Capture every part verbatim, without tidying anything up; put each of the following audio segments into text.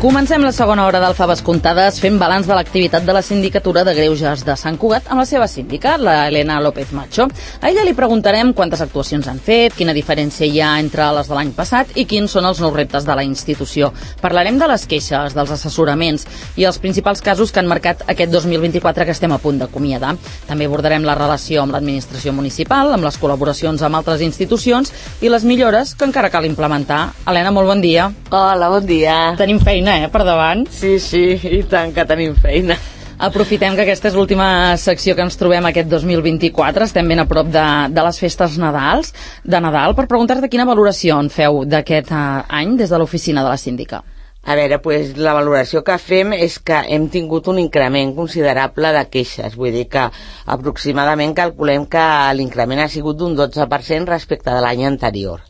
Comencem la segona hora del Faves Comptades fent balanç de l'activitat de la Sindicatura de Greuges de Sant Cugat amb la seva síndica, la Elena López Macho. A ella li preguntarem quantes actuacions han fet, quina diferència hi ha entre les de l'any passat i quins són els nous reptes de la institució. Parlarem de les queixes, dels assessoraments i els principals casos que han marcat aquest dos mil vint-i-quatre que estem a punt d'acomiadar. També abordarem la relació amb l'administració municipal, amb les col·laboracions amb altres institucions i les millores que encara cal implementar. Elena, molt bon dia. Hola, bon dia. Tenim feina, eh, per davant. Sí, sí, i tant que tenim feina. Aprofitem que aquesta és l'última secció que ens trobem aquest dos mil vint-i-quatre, estem ben a prop de, de les festes Nadals, de Nadal, per preguntar-te quina valoració en feu d'aquest uh, any des de l'oficina de la síndica. A veure, pues, la valoració que fem és que hem tingut un increment considerable de queixes, vull dir que aproximadament calculem que l'increment ha sigut d'un dotze per cent respecte de l'any anterior.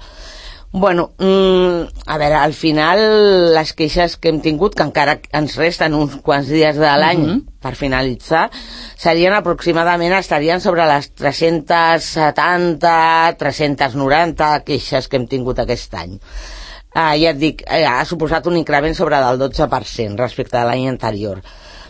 Bueno, mmm, a veure, al final les queixes que hem tingut, que encara ens resten uns quants dies de l'any uh-huh. per finalitzar, serien aproximadament, estarien sobre les tres-centes setanta, tres-centes noranta queixes que hem tingut aquest any. Ah, ja et dic, eh, ha suposat un increment sobre del dotze per cent respecte a l'any anterior.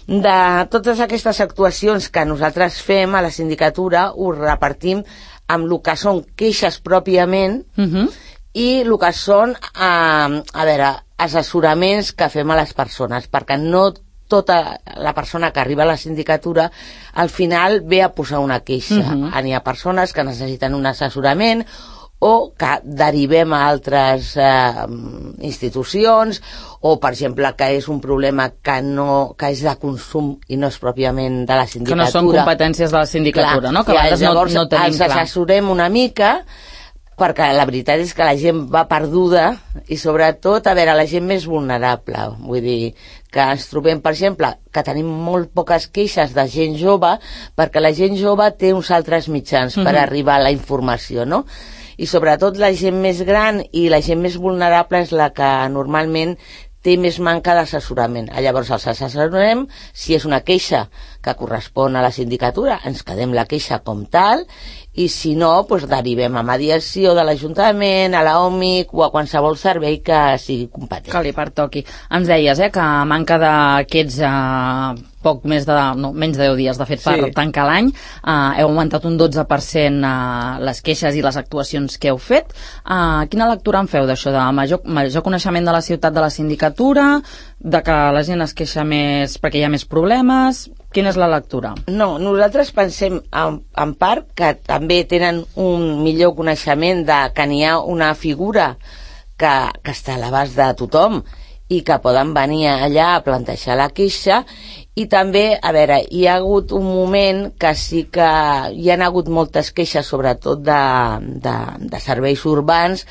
De totes aquestes actuacions que nosaltres fem a la sindicatura, ho repartim amb el que són queixes pròpiament uh-huh. i el que són, eh, a veure, assessoraments que fem a les persones, perquè no tota la persona que arriba a la sindicatura al final ve a posar una queixa. Uh-huh. N'hi ha persones que necessiten un assessorament o que derivem a altres eh, institucions, o, per exemple, que és un problema que, no, que és de consum i no és pròpiament de la sindicatura. Que no són competències de la sindicatura, clar, no? Que a vegades llavors no, no tenim els clar. assessorem una mica, perquè la veritat és que la gent va perduda i, sobretot, a veure, la gent més vulnerable. Vull dir que ens trobem, per exemple, que tenim molt poques queixes de gent jove, perquè la gent jove té uns altres mitjans mm-hmm. per arribar a la informació, no? I sobretot la gent més gran i la gent més vulnerable és la que normalment té més manca d'assessorament. Llavors els assessorem, si és una queixa que correspon a la sindicatura, ens quedem la queixa com tal, i si no, doncs derivem a mediació de l'Ajuntament, a l'O M I C o a qualsevol servei que sigui competent. Que li pertoqui. Ens deies, eh, que a manca d'aquests eh, poc més de, no, menys de deu dies, de fet, per sí. tancar l'any, eh, heu augmentat un dotze per cent eh, les queixes i les actuacions que heu fet. Eh, quina lectura en feu d'això, de major, major coneixement de la ciutat de la sindicatura, de que la gent es queixa més perquè hi ha més problemes? Quina és la lectura? No, nosaltres pensem en, en part que també tenen un millor coneixement de que n'hi ha una figura que, que està a l'abast de tothom i que poden venir allà a plantejar la queixa. I també, a veure, hi ha hagut un moment que sí que hi han hagut moltes queixes, sobretot de, de, de serveis urbans,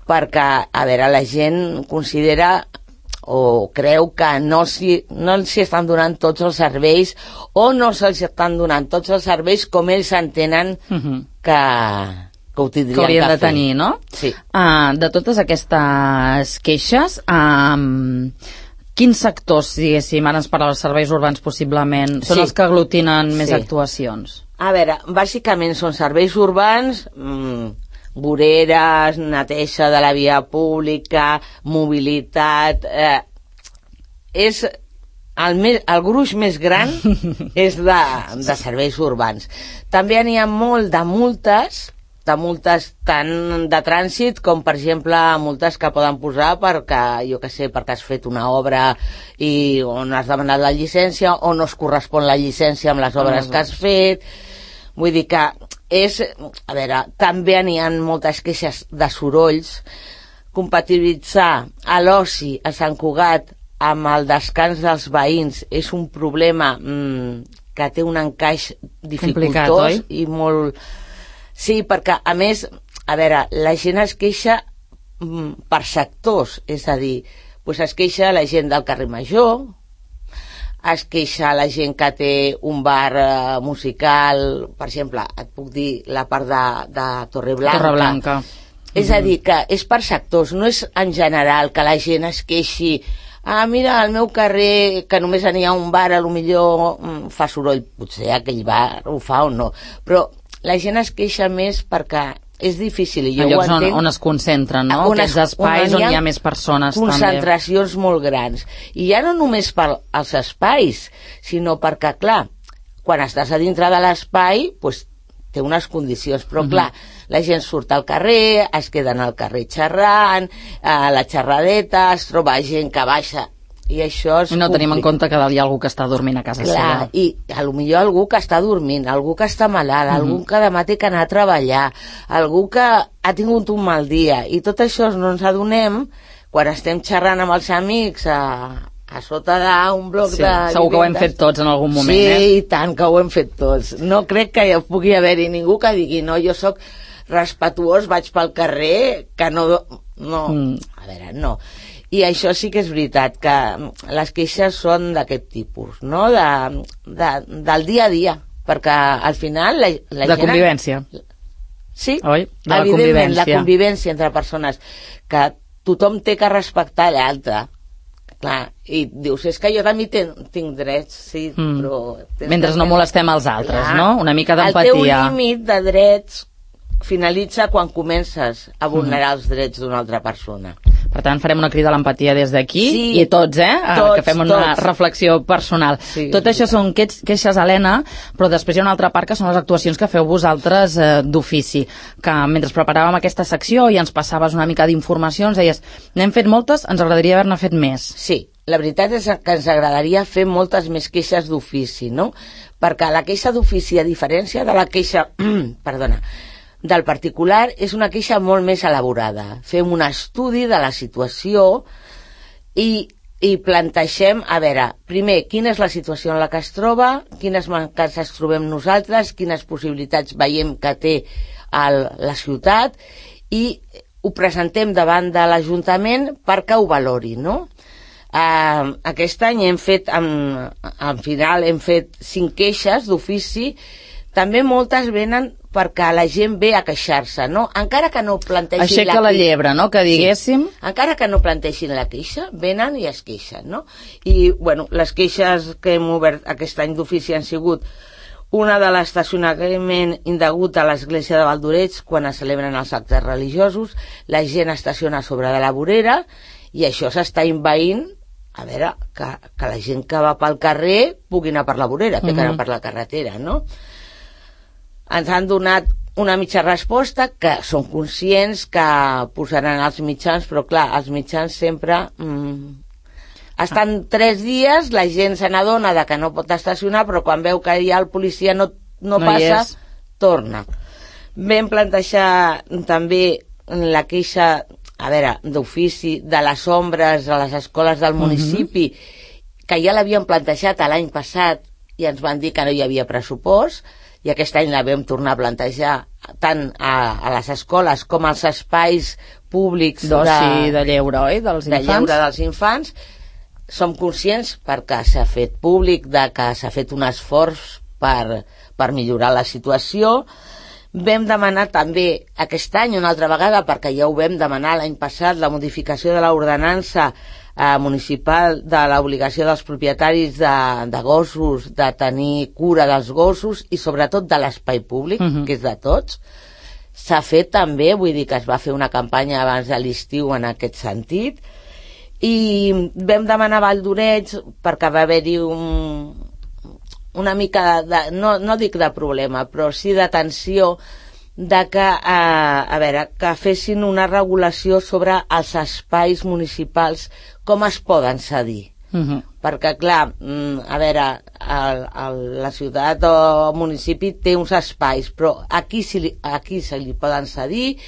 perquè, a veure, la gent considera o creu que no s'hi no estan donant tots els serveis o no se'ls estan donant tots els serveis com ells entenen uh-huh. que, que ho tindrien que, haurien que de fer. tenir, no? Sí. Uh, de totes aquestes queixes, um, quins sectors, diguéssim, ara ens parla dels serveis urbans possiblement, són sí. els que aglutinen més sí. actuacions? A veure, bàsicament són serveis urbans, mmm, voreres, neteja de la via pública, mobilitat, eh, és el, més, el gruix més gran és de, de serveis urbans. També n'hi ha molt de multes, de multes tant de trànsit com, per exemple, multes que poden posar perquè, jo què sé, perquè has fet una obra i on has demanat la llicència o no es correspon la llicència amb les obres que has fet. Vull dir que és, a veure, també n'hi ha moltes queixes de sorolls. Compatibilitzar a l'oci a Sant Cugat amb el descans dels veïns és un problema mmm, que té un encaix dificultós i molt... Sí, perquè, a més, a veure, la gent es queixa mmm, per sectors, és a dir, doncs es queixa la gent del carrer Major, es queixa la gent que té un bar eh, musical, per exemple, et puc dir la part de, de Torreblanca. Torreblanca. És a dir, que és per sectors, no és en general que la gent es queixi, ah, mira, al meu carrer, que només n'hi ha un bar, a lo millor mm, fa soroll, potser aquell bar ho fa o no, però la gent es queixa més perquè és difícil. I jo en llocs ho entenc, on, on es concentren, no? On Aquests es, espais on hi ha, on hi ha més persones també. Concentracions molt grans. I ja no només pels espais, sinó perquè, clar, quan estàs a dintre de l'espai, doncs, té unes condicions, però clar, uh -huh. la gent surt al carrer, es queden al carrer xerrant, a la xerradeta, es troba gent que baixa, i això és I no complicat. tenim en compte que dalt hi ha algú que està dormint a casa clar, seva. I a lo millor algú que està dormint, algú que està malalt, uh -huh. algú que demà té que anar a treballar, algú que ha tingut un mal dia, i tot això no ens adonem quan estem xerrant amb els amics a, a sota d'un bloc sí, de... segur que ho hem fet tots en algun moment, sí, eh? Sí, i tant que ho hem fet tots. No crec que hi pugui haver-hi ningú que digui no, jo sóc respetuós, vaig pel carrer, que no... no. Mm. A veure, no. I això sí que és veritat, que les queixes són d'aquest tipus, no? De, de, del dia a dia, perquè al final la, la de gent... convivència. Sí, oi? De la evidentment, convivència. la convivència entre persones, que tothom té que respectar l'altre. Clar, i dius, és que jo també tinc, tinc drets, sí, mm. però... Mentre no molestem els altres, clar, no? Una mica d'empatia. El teu límit de drets finalitza quan comences a vulnerar mm. els drets d'una altra persona. Per tant, farem una crida a l'empatia des d'aquí, sí, i tots, eh? Tots, que fem una tots. reflexió personal. Sí, Tot això són queixes, Helena, però després hi ha una altra part que són les actuacions que feu vosaltres eh, d'ofici, que mentre preparàvem aquesta secció i ens passaves una mica d'informació, ens deies, n'hem fet moltes, ens agradaria haver-ne fet més. Sí, la veritat és que ens agradaria fer moltes més queixes d'ofici, no? Perquè la queixa d'ofici, a diferència de la queixa... perdona... del particular, és una queixa molt més elaborada. Fem un estudi de la situació i, i plantegem, a veure, primer, quina és la situació en la que es troba, quines mancances trobem nosaltres, quines possibilitats veiem que té el, la ciutat, i ho presentem davant de l'Ajuntament perquè ho valori, no? Uh, aquest any hem fet, en, en final, hem fet cinc queixes d'ofici. També moltes venen perquè la gent ve a queixar-se, no? Encara que no plantegin Aixeca la, la llebre, no?, que diguéssim. Sí. Encara que no plantegin la queixa, venen i es queixen, no? I, bueno, les queixes que hem obert aquest any d'ofici han sigut una de l'estacionament indegut a l'església de Valdoreig quan es celebren els actes religiosos, la gent estaciona sobre de la vorera i això s'està envaint, a veure, que, que la gent que va pel carrer pugui anar per la vorera, que, uh-huh. que anar per la carretera, no? Ens han donat una mitja resposta, que són conscients que posaran els mitjans, però clar, els mitjans sempre mm, estan ah. tres dies, la gent se n'adona de que no pot estacionar, però quan veu que ja el policia no, no, no passa, torna. Vam plantejar també la queixa, a veure, d'ofici, de les ombres a les escoles del municipi, uh-huh. que ja l'havien plantejat l'any passat i ens van dir que no hi havia pressupost, i aquest any la vam tornar a plantejar tant a, a les escoles com als espais públics d'oci, de, de lleure, oi? Dels de infants. lleure dels infants. Som conscients perquè s'ha fet públic de que s'ha fet un esforç per, per millorar la situació. Vam demanar també aquest any una altra vegada, perquè ja ho vam demanar l'any passat, la modificació de l'ordenança eh, municipal de l'obligació dels propietaris de, de gossos de tenir cura dels gossos i sobretot de l'espai públic, uh-huh. que és de tots. S'ha fet també, vull dir que es va fer una campanya abans de l'estiu en aquest sentit, i vam demanar a Valdoreig perquè va haver-hi un, una mica de, de, no, no dic de problema, però sí de tensió de que, eh, a veure, que fessin una regulació sobre els espais municipals, com es poden cedir. Uh-huh. Perquè, clar, a veure, el, el, la ciutat o el municipi té uns espais, però aquí, si, aquí se li poden cedir,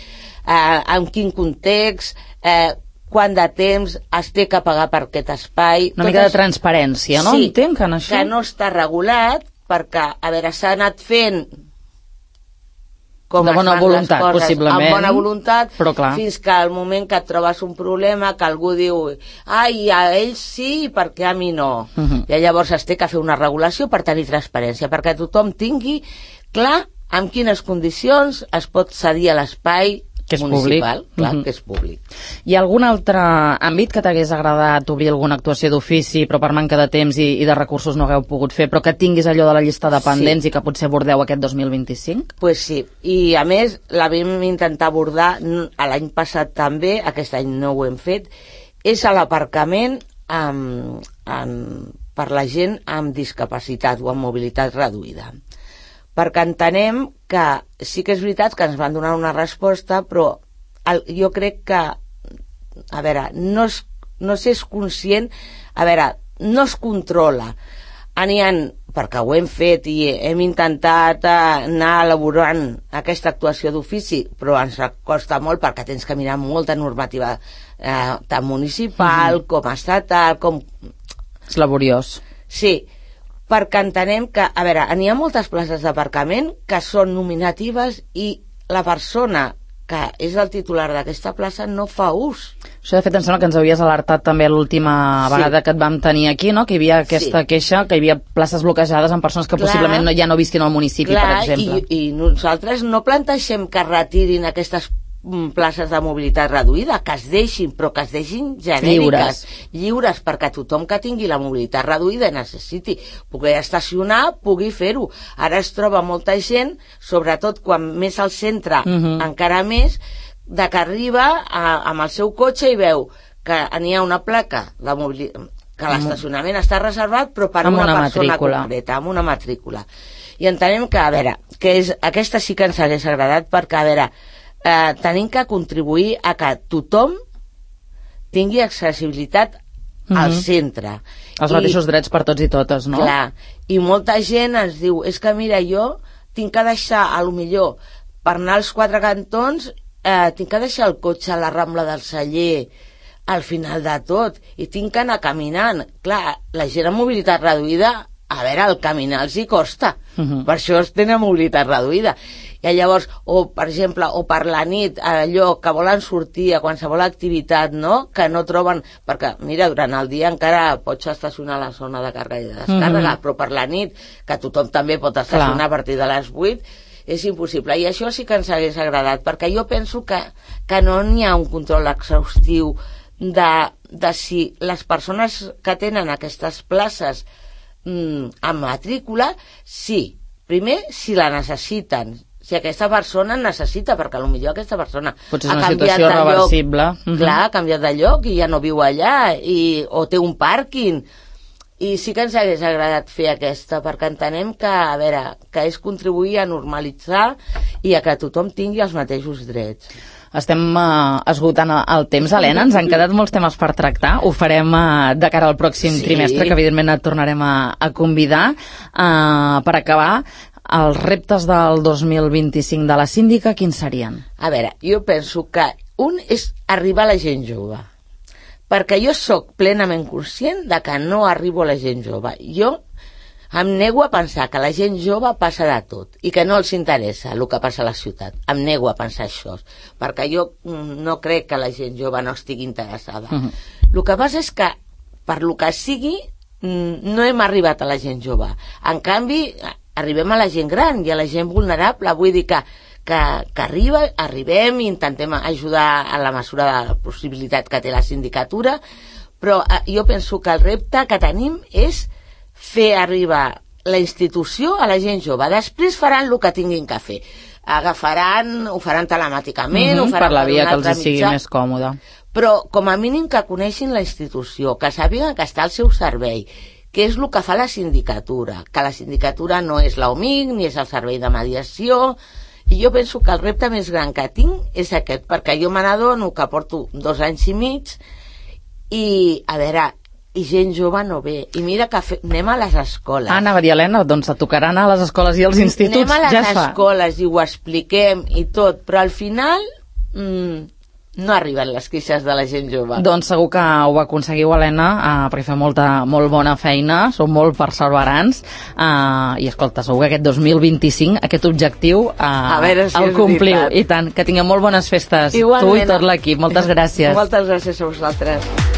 eh, en quin context, eh, quant de temps es té que pagar per aquest espai. Una mica de transparència, no? Sí, entenc, en això. Que no està regulat, perquè, a veure, s'ha anat fent com de bona voluntat, coses, possiblement, amb bona voluntat, però clar, fins que al moment que et trobes un problema, que algú diu, ai, a ells sí, perquè a mi no. Uh-huh. I llavors es té que fer una regulació per tenir transparència, perquè tothom tingui clar en quines condicions es pot cedir a l'espai que és municipal, públic. clar, uh-huh. que és públic. Hi ha algun altre àmbit que t'hagués agradat obrir alguna actuació d'ofici, però per manca de temps i, i de recursos no hagueu pogut fer, però que tinguis allò de la llista de pendents sí. I que potser abordeu aquest dos mil vint-i-cinc? Pues sí, i a més la vam intentar abordar l'any passat també, aquest any no ho hem fet, és a l'aparcament amb, amb, per la gent amb discapacitat o amb mobilitat reduïda. Perquè entenem que sí que és veritat que ens van donar una resposta, però el, jo crec que, a veure, no, es, no s'és conscient, a veure, no es controla. Aniran, perquè ho hem fet i hem intentat anar elaborant aquesta actuació d'ofici, però ens costa molt perquè tens que mirar molta normativa, eh, tant municipal mm-hmm. com estatal, com... És laboriós. Sí, perquè entenem que, a veure, n'hi ha moltes places d'aparcament que són nominatives i la persona que és el titular d'aquesta plaça no fa ús. Això, de fet, em sembla que ens havies alertat també l'última sí. vegada que et vam tenir aquí, no? Que hi havia aquesta sí. queixa, que hi havia places bloquejades amb persones que clar, possiblement no, ja no visquin al municipi, clar, per exemple. I, i nosaltres no plantegem que retirin aquestes places de mobilitat reduïda, que es deixin, però que es deixin genèriques, lliures, lliures perquè tothom que tingui la mobilitat reduïda i necessiti poder estacionar, pugui fer-ho. Ara es troba molta gent, sobretot quan més al centre, uh-huh. encara més, de que arriba a, amb el seu cotxe i veu que n'hi ha una placa de mobilitat, que l'estacionament està reservat, però per amb una, una persona matrícula. concreta, amb una matrícula. I entenem que, a veure, que és, aquesta sí que ens hagués agradat perquè, a veure, Eh, tenim que contribuir a que tothom tingui accessibilitat mm-hmm. al centre. Els I, mateixos drets per tots i totes, no? Clar, i molta gent ens diu, és que mira, jo tinc que deixar, a lo millor, per anar als quatre cantons, eh, tinc que deixar el cotxe a la Rambla del Celler, al final de tot, i tinc que anar caminant. Clar, la gent amb mobilitat reduïda, a veure, el caminar els hi costa, mm-hmm. per això es tenen mobilitat reduïda. I llavors, o per exemple, o per la nit, allò que volen sortir a qualsevol activitat, no?, que no troben, perquè, mira, durant el dia encara pots estacionar a la zona de càrrega i de descàrrega, mm-hmm. però per la nit, que tothom també pot estacionar Clar. A partir de les vuit, és impossible. I això sí que ens hagués agradat, perquè jo penso que, que no n'hi ha un control exhaustiu de, de si les persones que tenen aquestes places mm, amb matrícula, sí, primer, si la necessiten, si aquesta persona necessita, perquè potser aquesta persona potser és una situació reversible. Uh-huh. Clar, ha canviat de lloc i ja no viu allà, i, o té un pàrquing. I sí que ens hagués agradat fer aquesta, perquè entenem que, a veure, que és contribuir a normalitzar i a que tothom tingui els mateixos drets. Estem uh, esgotant el temps, Helena, ens han quedat molts temes per tractar, ho farem uh, de cara al pròxim sí. trimestre, que evidentment et tornarem a, a convidar. Uh, per acabar, els reptes del dos mil vint-i-cinc de la síndica, quins serien? A veure, jo penso que un és arribar a la gent jove, perquè jo sóc plenament conscient de que no arribo a la gent jove. Jo em nego a pensar que la gent jove passa de tot i que no els interessa el que passa a la ciutat. Em nego a pensar això, perquè jo no crec que la gent jove no estigui interessada. Uh-huh. El que passa és que, per lo que sigui, no hem arribat a la gent jove. En canvi, arribem a la gent gran i a la gent vulnerable. Vull dir que, que, que arriba, arribem i intentem ajudar a la mesura de la possibilitat que té la sindicatura, però jo penso que el repte que tenim és fer arribar la institució a la gent jove. Després faran el que tinguin que fer. Agafaran, ho faran telemàticament, mm-hmm, ho faran per la via per que els sigui més còmode. Però com a mínim que coneixin la institució, que sàpiguen que està al seu servei, que és el que fa la sindicatura, que la sindicatura no és l'O M I C ni és el servei de mediació, i jo penso que el repte més gran que tinc és aquest, perquè jo me n'adono que porto dos anys i mig i, a veure, i gent jove no ve, i mira que fe... anem a les escoles. Ah, anava a dir, Helena, doncs et tocarà anar a les escoles i als instituts, anem a les ja escoles i ho expliquem i tot, però al final mmm, no arriben les queixes de la gent jove. Doncs segur que ho aconseguiu, Helena, eh, perquè fa molta, molt bona feina, sou molt perseverants, eh, i escolta, segur que aquest dos mil vint-i-cinc, aquest objectiu eh, a veure si el compliu, i tant, que tingueu molt bones festes. Igualment. Tu i tot l'equip, moltes gràcies. Moltes gràcies a vosaltres.